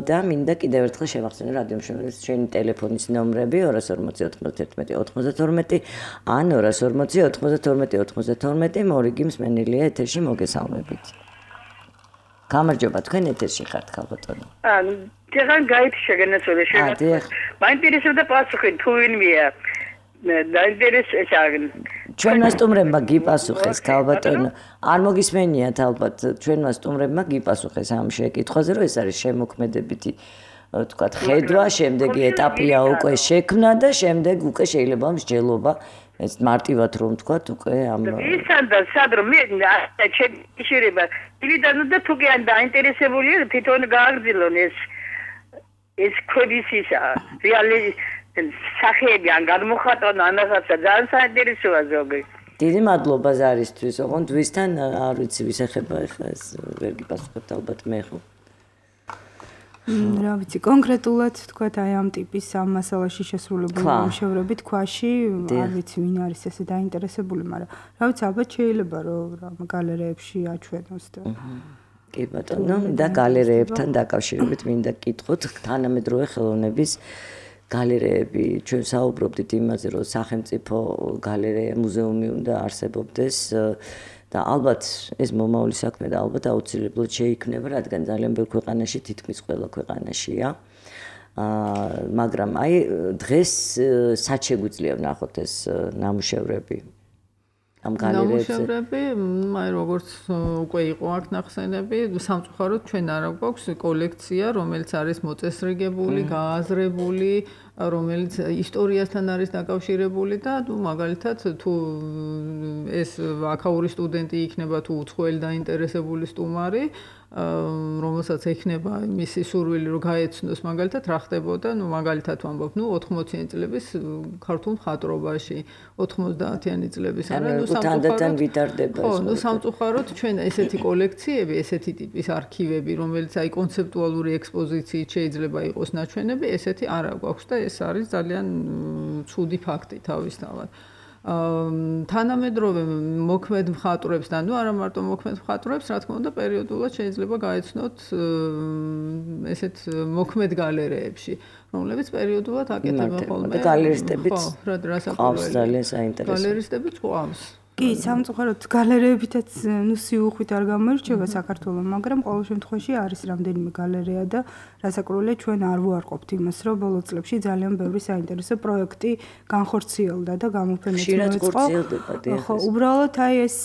და მინდა კიდევ ერთხელ შევახსენო რადიო მშობლების შენი ტელეფონის ნომრები ორას ორმოცი ოცდაერთმეტი ოცდათორმეტი ან ორას ორმოცი ოცდათორმეტი ოცდათორმეტი მორიგი მსმენელია ეთერში მოგესალმებით. გამარჯობა თქვენ ეთერში ხართ ქალბატონო. ანუ თან გაითი შეგენაცვალე შეგა. მაინტერესებდა პასუხი თუ ვინმეა. დაინტერესებს ჩვენმა სტუმრებმა გიპასუხეს ქალბატონო არ მოგისმენიათ ალბათ ჩვენმა სტუმრებმა გიპასუხეს ამ შეკითხვაზე რომ ეს არის შემოქმედებითი თქვათ ხედვა შემდეგი ეტაპია უკვე შექმნა და შემდეგ უკვე შეიძლება მსჯელობა ეს მარტივად რომ თქვათ უკვე ამ ისან და სადრო მე შეიძლება დილიდან და თუ კი ან დაინტერესებულია თვითონ გააგრძელონ ეს ეს ქვების ისა რეალი სახეები ან გადმოხატონ ან რაღაცა ძალიან საინტერესოა ზოგი. დიდი მადლობა ზარისთვის, ოღონდ ვისთან არ ვიცი ვის ეხება ახლა ეს ვერ გიპასუხებთ ალბათ მე ხო. რა ვიცი კონკრეტულად თქვათ აი ამ ტიპის ამ მასალაში შესრულებული მუშავრები თქვაში არ ვიცი ვინ არის ესე დაინტერესებული, მაგრამ რა ვიცი ალბათ შეიძლება რომ გალერეებში აჩვენოს და კი ბატონო და გალერეებთან დაკავშირებით მინდა გკითხოთ თანამედროვე ხელოვნების გალერეები ჩვენ საუბრობდით იმაზე რომ სახელმწიფო გალერეა მუზეუმი უნდა არსებობდეს და ალბათ ეს მომავალი საქმე და ალბათ აუცილებლად შეიქმნება რადგან ძალიან ბევრ ქვეყანაში თითქმის ყველა ქვეყანაშია აა მაგრამ აი დღეს სად შეგვიძლია ვნახოთ ეს ნამუშევრები ამ გალერეებზე ნამუშევრები აი როგორც უკვე იყო აქ ნახსენები სამწუხაროდ ჩვენ არ გვაქვს კოლექცია რომელიც არის მოწესრიგებული გააზრებული რომელიც ისტორიასთან არის დაკავშირებული და თუ მაგალითად თუ ეს აქაური სტუდენტი იქნება თუ უცხოელი დაინტერესებული სტუმარი რომელსაც ეხნება მისი სურვილი რომ გაეცნოს მაგალითად რა ხდებოდა ნუ მაგალითად ვამბობ ნუ ოთხმოციანი წლების ქართულ მხატვრობაში ოთხმოცდაათიანი წლების არა ნუ თანდათან ვითარდება ხო ნუ სამწუხაროდ ჩვენ ესეთი კოლექციები ესეთი ტიპის არქივები რომელიც აი კონცეპტუალური ექსპოზიციით შეიძლება იყოს ნაჩვენები ესეთი არ აქვს და ეს არის ძალიან ცუდი ფაქტი თავისთავად თანამედროვე მოქმედ მხატვრებს და ნუ არა მარტო მოქმედ მხატვრებს, რა თქმა უნდა, პერიოდულად შეიძლება გაეცნოთ ესეთ მოქმედ გალერეებში, რომლებიც პერიოდულად აკეთებენ ხოლმე. და გალერისტებიც ხო, რა რასაკვირველია. ძალიან საინტერესო. გალერისტებიც ყავს. კი, სამწუხაროდ გალერეებითაც ნუ სიუხვით არ გამოირჩევა საქართველოს, მაგრამ ყოველ შემთხვევაში არის რამდენიმე გალერეა და რასაკვირველია ჩვენ არ ვუარყოფთ იმას, რომ ბოლო წლებში ძალიან ბევრი საინტერესო პროექტი განხორციელდა და გამოფენებს მოეწყო. ხო, უბრალოდ აი ეს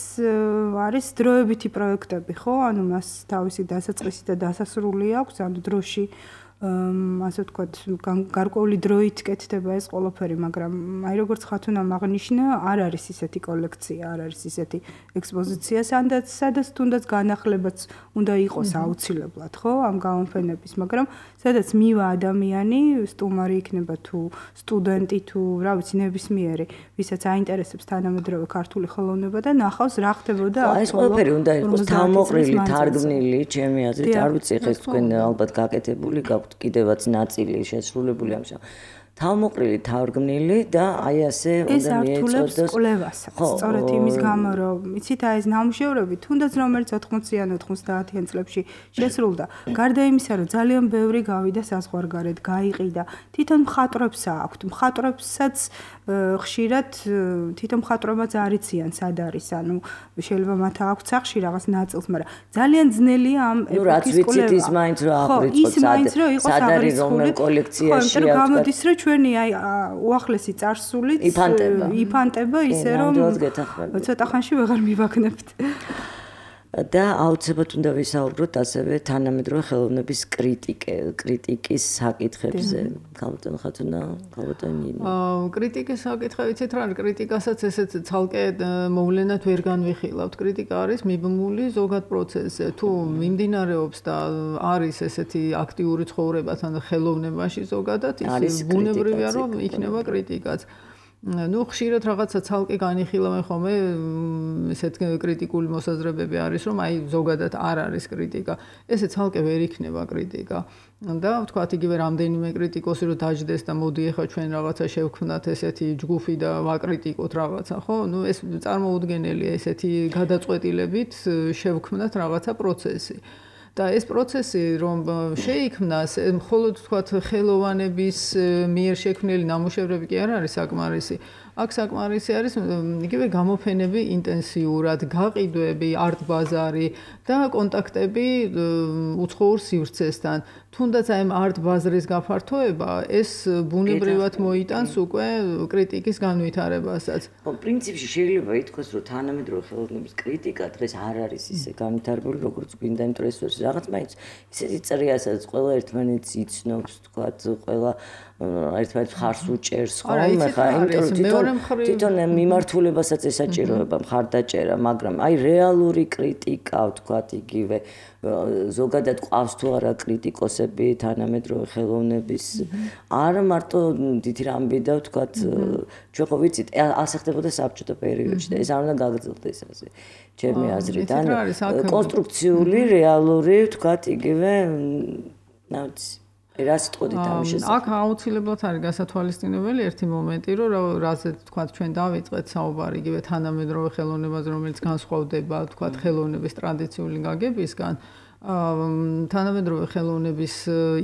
არის დროებითი პროექტები, ხო? ანუ მას თავისი დასაწყისი და დასასრული აქვს, ანუ დროში ასე ვთქვათ, გარკვეული დროით კეთდება ეს ყველაფერი, მაგრამ აი როგორც ხათუნამ აღნიშნა, არ არის ისეთი კოლექცია, არ არის ისეთი ექსპოზიცია, სადაც სადაც თუნდაც განახლებაც უნდა იყოს აუცილებლად, ხო, ამ გამოფენების, მაგრამ სადაც მივა ადამიანი, სტუმარი იქნება თუ სტუდენტი თუ რა ვიცი, ნებისმიერი, ვისაც აინტერესებს თანამედროვე ქართული ხელოვნება და ნახავს რა ხდებოდა აქ. ეს ყველაფერი უნდა იყოს თავმოყრილი, თარგმნილი, ჩემი აზრით, არ ვიცი ხეს თქვენ ალბათ გაკეთებული გაქვთ კიდევაც ნაწილი შესრულებული ამ თავმოყრილი თარგმნილი და აი ასე უნდა მიეწოდოს ეს კვლევასაც სწორედ იმის გამო რომ იცით აი ეს ნამუშევრები თუნდაც რომელიც ოთხმოციან ოცდაათიან წლებში შესრულდა გარდა იმისა რომ ძალიან ბევრი გავიდა საზღვარგარეთ გაიყიდა თვითონ მხატვრებს აქვთ მხატვრებსაც ხშირად თვითონ მხატვრებაც არიციან სად არის ანუ შეიძლება მათ აქვთ სახში რაღაც ნაწილს მაგრამ ძალიან ძნელია ამ ეპოქის კვლევა. ნუ რაც ვიცით ის მაინც რომ აღვიწყოთ სად არის რომელ კოლექციაში აქვს. გამოდის რომ ჩვენი აი უახლესი წარსულიც იფანტება იფანტება ისე რომ ცოტა ხანში ვეღარ მივაგნებთ. და აუცილებლად უნდა ვისაუბროთ ასევე თანამედროვე ხელოვნების კრიტიკე, კრიტიკის საკითხებზე. ქალბატონ ხათუნა, ქალბატონ ნინო. აა კრიტიკის საკითხი ვიცით რა, კრიტიკასაც ესეც ცალკე მოვლენად ვერ განვიხილავთ. კრიტიკა არის მიბმული ზოგად პროცესზე. თუ მიმდინარეობს და არის ესეთი აქტიური ცხოვრება თან ხელოვნებაში ზოგადად, ის ბუნებრივია რომ იქნება კრიტიკაც. ნუ ხშირად რაღაცა ცალკე განიხილავენ ხოლმე ესეთ კრიტიკული მოსაზრებები არის რომ აი ზოგადად არ არის კრიტიკა ესე ცალკე ვერ იქნება კრიტიკა და ვთქვათ იგივე რამდენიმე კრიტიკოსი რომ დაждდეს და მოდი ახლა ჩვენ რაღაცა შევქმნათ ესეთი ჯგუფი და ვაკრიტიკოთ რაღაცა ხო ნუ ეს წარმოუდგენელია ესეთი გადაწყვეტილებით შევქმნათ რაღაცა პროცესი და ეს პროცესი რომ შეიქმნას მხოლოდ თქვათ ხელოვანების მიერ შექმნილი ნამუშევრები კი არ არის საკმარისი აქ საკმარისი არის იგივე გამოფენები ინტენსიურად, გაყიდვები, არტ ბაზარი და კონტაქტები უცხოურ სივრცესთან. თუნდაც აი ამ არტ ბაზრის გაფართოება ეს ბუნებრივად მოიტანს უკვე კრიტიკის განვითარებასაც. პრინციპში შეიძლება ითქვას, რომ თანამედროვე ხელოვნების კრიტიკა დღეს არ არის ისე განვითარებული, როგორც გვინდა, იმიტომ რომ ეს რაღაც მაინც ისეთი წერია, სადაც ყველა ერთმანეთს იცნობს, თქვათ, ყველა ერთმანეთს ხარს უჭერს, ხო? ხა იმიტომ თვითონ მიმართულებასაც ესაჭიროება მხარდაჭერა, მაგრამ აი რეალური კრიტიკა, თქვათ, იგივე ზოგადად ყავს თუ არა კრიტიკოსები თანამედროვე ხელოვნების არა მარტო დიდი რამბი და ვთქვათ ჩვენ ხო ვიცით ასახდებოდა საბჭოთა პერიოდში და ეს არ უნდა გაგრძელდეს ასე ჩემი აზრით ანუ კონსტრუქციული რეალური ვთქვათ იგივე ნაუც რა სიტყვით ამის შესახებ აქ აუცილებლად არის გასათვალისწინებელი ერთი მომენტი რომ რაზეც ვთქვათ ჩვენ დავიწყეთ საუბარი იგივე თანამედროვე ხელოვნებას რომელიც განსხვავდება ვთქვათ ხელოვნების ტრადიციული გაგებისგან თანამედროვე ხელოვნების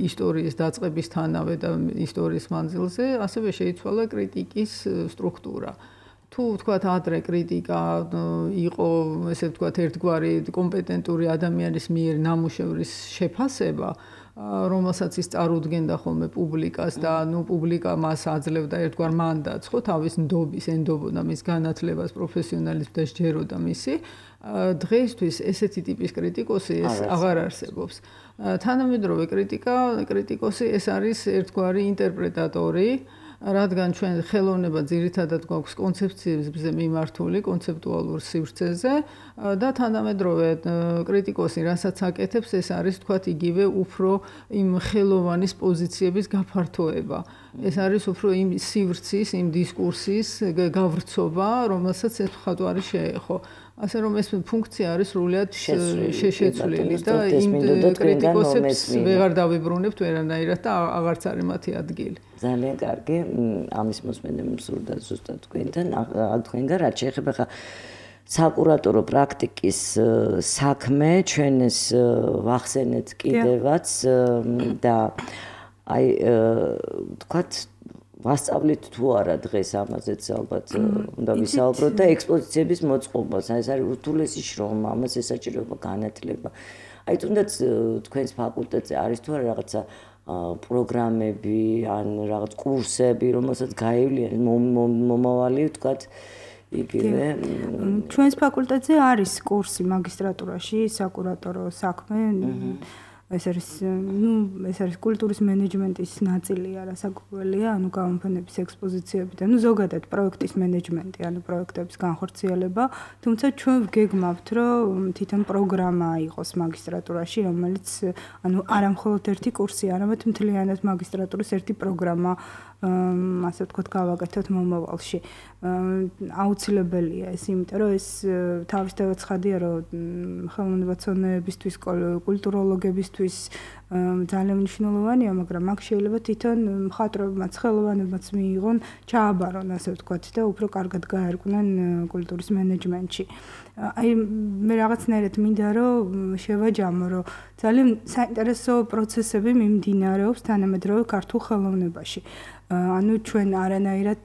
ისტორიის დაწყებისთანავე და ისტორიის მანძილზე ასევე შეიცვალა კრიტიკის სტრუქტურა. თუ ვთქვათ ადრე კრიტიკა იყო ესე ვთქვათ ერთგვარი კომპეტენტური ადამიანის მიერ ნამუშევრის შეფასება რომელსაც ის წარუდგენდა ხოლმე პუბლიკას და ნუ პუბლიკა მას აძლევდა ერთგვარ მანდატს ხო თავის ნდობის ენდობოდა მის განათლებას პროფესიონალიზმს და სჯეროდა მისი დღეისთვის ესეთი ტიპის კრიტიკოსი ეს აღარ არსებობს თანამედროვე კრიტიკა კრიტიკოსი ეს არის ერთგვარი ინტერპრეტატორი რადგან ჩვენ ხელოვნება ძირითადად გვაქვს კონცეფციებზე მიმართული კონცეპტუალურ სივრცეზე და თანამედროვე კრიტიკოსი რასაც აკეთებს ეს არის თქვათ იგივე უფრო იმ ხელოვანის პოზიციების გაფართოება ეს არის უფრო იმ სივრცის იმ დისკურსის გავრცობა რომელსაც ეს მხატვარი შეეხო ასე რომ ეს ფუნქცია არის სრულად შეშეცვლილი და იმ კრიტიკოსებს ვეღარ დავიბრუნებთ ვერანაირად და აღარც არის მათი ადგილი ძალიან კარგი ამის მოსმენამ სურდა ზუსტად თქვენთან თქვენგან რაც შეეხება ხა საკურატორო პრაქტიკის საქმე ჩვენ ეს ვახსენეთ კიდევაც და აი თქვათ ვასწავლით თუ არა დღეს ამაზეც ალბათ უნდა ვისაუბროთ და ექსპოზიციების მოწყობას აი ეს არის ურთულესი შრომა ამას ესაჭიროება განათლება აი თუნდაც თქვენს ფაკულტეტზე არის თუ არა რაღაცა პროგრამები ან რაღაც კურსები რომელსაც გაივლიან მომავალი ვთქვათ იგივე ჩვენს ფაკულტეტზე არის კურსი მაგისტრატურაში საკურატორო საქმე ეს არის ნუ ეს არის კულტურის მენეჯმენტის ნაწილია რასაკვირველია ანუ გამოფენების ექსპოზიციები და ნუ ზოგადად პროექტის მენეჯმენტი ანუ პროექტების განხორციელება თუმცა ჩვენ ვგეგმავთ რომ თვითონ პროგრამა იყოს მაგისტრატურაში რომელიც ანუ არა მხოლოდ ერთი კურსი არამედ მთლიანად მაგისტრატურის ერთი პროგრამა ასე ვთქვათ გავაკეთოთ მომავალში აუცილებელია ეს იმიტომ რომ ეს თავისთავად ცხადია რომ ხელოვნებაცნებისთვის კულტუროლოგებისთვის ძალიან მნიშვნელოვანია მაგრამ აქ შეიძლება თვითონ მხატვრებმაც ხელოვანებმაც მიიღონ ჩააბარონ ასე ვთქვათ და უფრო კარგად გაერკვნენ კულტურის მენეჯმენტში აი მე რაღაცნაირად მინდა რომ შევაჯამო რომ ძალიან საინტერესო პროცესები მიმდინარეობს თანამედროვე ქართულ ხელოვნებაში ანუ ჩვენ არანაირად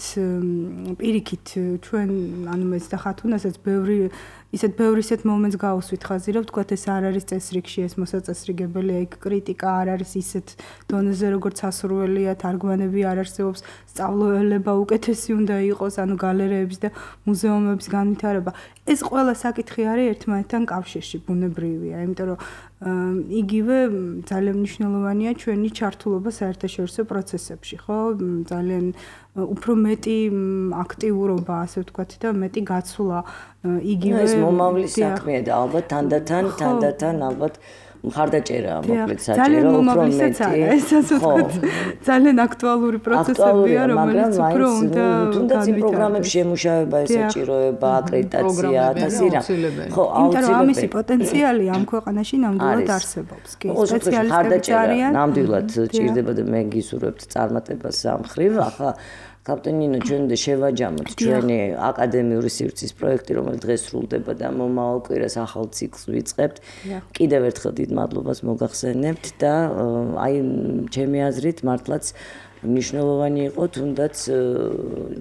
პირიქით ჩვენ ანუ მეც და ხათუნასაც ბევრი ისეთ ბევრი ისეთ მომენტს გავუსვით ხაზი რომ ვთქვათ ეს არ არის წესრიგში ეს მოსაწესრიგებელია იქ კრიტიკა არ არის ისეთ დონეზე როგორც ასურველია თარგმანები არ არსებობს სწავლულება უკეთესი უნდა იყოს ანუ გალერეების და მუზეუმების განვითარება ეს ყველა საკითხი არის ერთმანეთთან კავშირში ბუნებრივია იმიტომ რომ იგივე ძალიან მნიშვნელოვანია ჩვენი ჩართულობა საერთაშორისო პროცესებში ხო ძალიან უფრო მეტი აქტიურობა ასე ვთქვათ და მეტი გაცვლა იგივე ეს მომავლის საქმეა და ალბათ თანდათან თანდათან ალბათ მხარდაჭერა მოკლედ საჭირო უფრო მეტი ესაც ვთქვათ ძალიან აქტუალური პროცესებია რომელიც უფრო უნდა თუნდაც იმ პროგრამებში ემუშავება ესაჭიროება აკრედიტაცია და სირა ხო აუცილებელი ამისი პოტენციალი ამ ქვეყანაში ნამდვილად არსებობს კი სპეციალისტები არიან ნამდვილად ჭირდება და მე გისურვებთ წარმატებას ამ ხრივ ახლა კაპტენინო ჩვენ და შევაჯამოთ ჩვენი აკადემიური სივრცის პროექტი რომელიც დღეს სრულდება და მომავალ კვირას ახალ ციკლს ვიწყებთ კიდევ ერთხელ დიდ მადლობას მოგახსენებთ და აი ჩემი აზრით მართლაც მნიშვნელოვანი იყო თუნდაც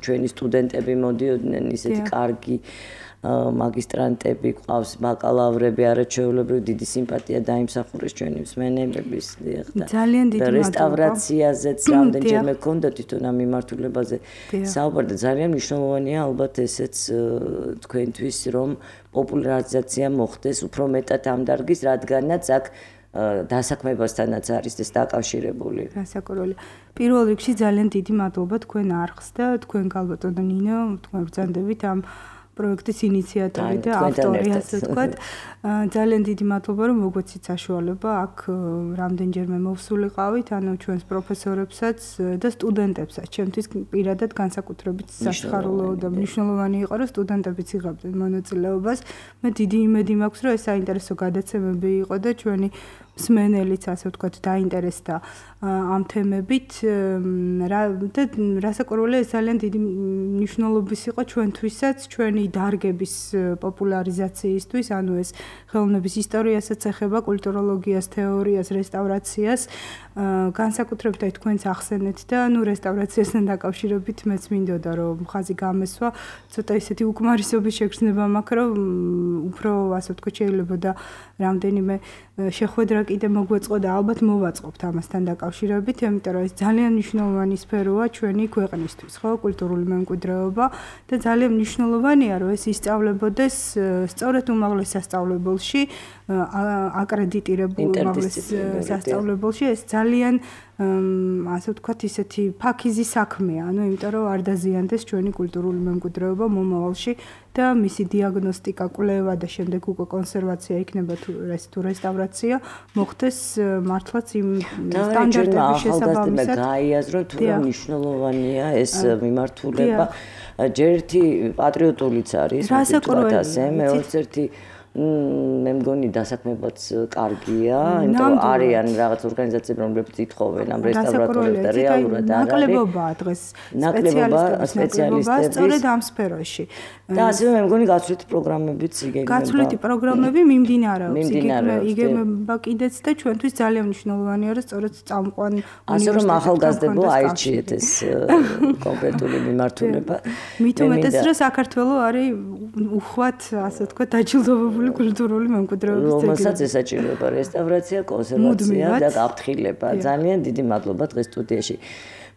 ჩვენი სტუდენტები მოდიოდნენ ისეთი კარგი მაგისტრანტები ყავს, ბაკალავრები, არაჩვეულებრივი დიდი სიმპათია დაიმსახურეს ჩვენი მსმენელების და ძალიან დიდი მადლობა. რესტავრაციაზეც რამდენჯერმე გქონდა თვითონ ამ მიმართულებაზე საუბარი და ძალიან მნიშვნელოვანია ალბათ ესეც თქვენთვის რომ პოპულარიზაცია მოხდეს უფრო მეტად ამ დარგის, რადგანაც აქ დასაქმებასთანაც არის ეს დაკავშირებული. გასაკურველი. პირველ რიგში ძალიან დიდი მადლობა თქვენ არხს და თქვენ გალბატონო ნინო, თქვენ ბრძანდებით ამ პროექტის ინიციატორი და ავტორი, ასე ვთქვათ. ძალიან დიდი მადლობა რომ მოგვეცით საშუალება აქ რამდენჯერმე მოვსულიყავით, ანუ ჩვენს პროფესორებსაც და სტუდენტებსაც. ჩემთვის პირადად განსაკუთრებით სასიხარულო და მნიშვნელოვანი იყო რომ სტუდენტებიც იღებდნენ მონაწილეობას. მე დიდი იმედი მაქვს რომ ეს საინტერესო გადაცემები იყო და ჩვენი მსმენელიც ასე ვთქვათ დაინტერესდა ამ თემებით და რასაკვირველია ეს ძალიან დიდი მნიშვნელობის იყო ჩვენთვისაც ჩვენი დარგების პოპულარიზაციისთვის, ანუ ეს ხელოვნების ისტორიასაც ეხება, კულტუროლოგიას, თეორიას, რესტავრაციას, განსაკუთრებით აი თქვენს ახსენეთ და ნუ რესტავრაციასთან დაკავშირებით მეც მინდოდა რომ ხაზი გამესვა, ცოტა ისეთი უკმარისობის შეგრძნება მაქვს, რომ უფრო ასე ვთქვათ შეიძლება და რამდენიმე შეხვედრა კიდე მოგვეწყო და ალბათ მოვაწყობთ ამასთან დაკავშირებით, იმიტომ რომ ეს ძალიან მნიშვნელოვანი სფეროა ჩვენი ქვეყნისთვის, ხო, კულტურული მემკვიდრეობა და ძალიან მნიშვნელოვანია რომ ეს ისწავლებოდეს სწორედ უმაღლეს სასწავლებელში, აკრედიტირებულ უმაღლეს სასწავლებელში, ეს ძალიან ასე ვთქვათ ისეთი ფაქიზი საქმეა, ანუ იმიტომ რომ არ დაზიანდეს ჩვენი კულტურული მემკვიდრეობა მომავალში და მისი დიაგნოსტიკა, კვლევა და შემდეგ უკვე კონსერვაცია იქნება თუ რესტავრაცია მოხდეს მართლაც იმ სტანდარტების შესაბამისად. გაიაზროთ თუ მნიშვნელოვანია ეს მიმართულება. ჯერ ერთი პატრიოტულიც არის, ვთქვათ ასე, მეც ერთი მე მგონი დასაქმებაც კარგია, იმიტომ რომ არიან რაღაც ორგანიზაციები, რომლებიც ითხოვენ ამ რესტავრატორებს და რეალურად არ არის. ნაკლებობაა დღეს სპეციალისტების სწორედ ამ სფეროში. და ასევე მე მგონი გაცვლითი პროგრამებიც იგეგმება. გაცვლითი პროგრამები მიმდინარეობს, იგეგმება კიდეც და ჩვენთვის ძალიან მნიშვნელოვანია რომ სწორედ წამყვან უნივერსიტეტებთან ასე რომ ახალგაზრდებო აირჩიეთ ეს კონკრეტული მიმართულება. მით უმეტეს რომ საქართველო არის უხვად ასე ვთქვათ დაჯილდოვებული კულტურული მემკვიდრეობის ძეგლი. რომელსაც ესაჭიროება რესტავრაცია, კონსერვაცია და გაფრთხილება. ძალიან დიდი მადლობა დღეს სტუდიაში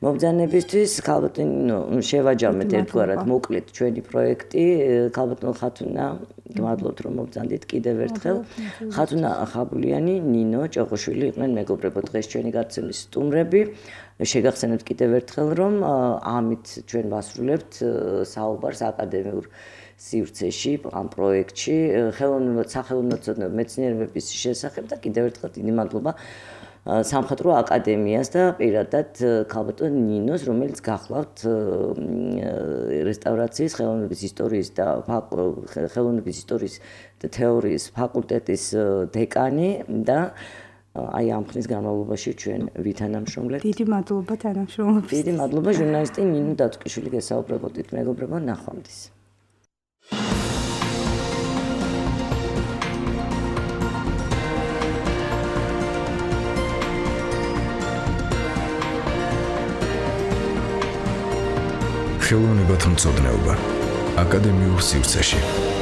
მობრძანებისთვის. ქალბატონო შევაჯამეთ ერთგვარად მოკლედ ჩვენი პროექტი. ქალბატონო ხათუნა, გმადლობთ რომ მობრძანდით კიდევ ერთხელ. ხათუნა ხაბულიანი, ნინო ჭოღოშვილი იყვნენ მეგობრებო დღეს ჩვენი გაცემის სტუმრები. შეგახსენებთ კიდევ ერთხელ რომ ამით ჩვენ ვასრულებთ საუბარს აკადემიურ სივრცეში ამ პროექტში ხელოვნებად სახელმწიფო მეცნიერების შესახებ და კიდევ ერთხელ დიდი მადლობა სამხატვრო აკადემიას და პირადად ქალბატონ ნინოს, რომელიც გახლავთ რესტავრაციის ხელოვნების ისტორიის და ხელოვნების ისტორიის და თეორიის ფაკულტეტის დეკანი და აი ამ ხნის განმავლობაში ჩვენ ვითანამშრომლებთ. დიდი მადლობა თანამშრომლობისთვის. დიდი მადლობა ჟურნალისტი ნინო დაწკიშვილი გესაუბრებოდით მეგობრებო, ნახვამდის. ხელოვნებათა მწოდნეობა აკადემიურ სივრცეში.